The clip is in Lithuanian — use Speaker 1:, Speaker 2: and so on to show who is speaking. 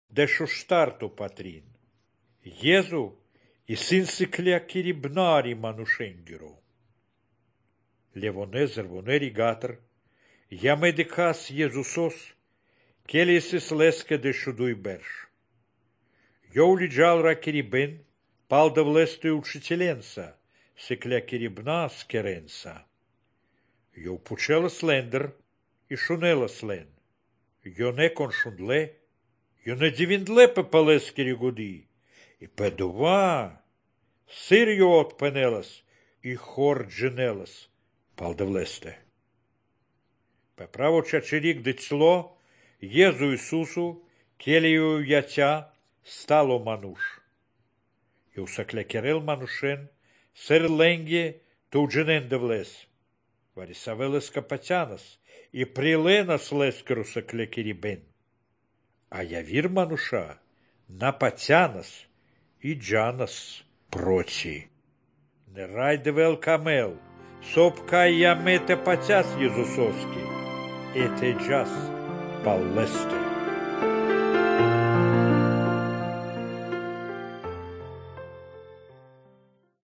Speaker 1: de șuștartu patrin. Jezu и синсиклea kiribnari manushengiru. Levonez rvoneri gatr, ja medikas Jezusos, kelisis leske de šudui berš. Jouli džalra kiriben, paldavlestui učitelensa, siklea kiribna skerensa. Jau pučelas lender, išunelas len. Jo ne konšundle, jo ne divindle pepales kirigudi. И педува, сирью отпенелас, и хор дженелас, палдавлесте. Пеправо чачерик децло, Езу Исусу, келию ятя, стало мануш. И усаклекерел манушен, сер ленге, тудженен девлес. Варисавелес капатянас, и приленас лескеру саклекерибен. А явир мануша, напатянас, и Джанас прочи. Не райдевел камел, сопкай ямете патяс Езусовски, это джас паллесте.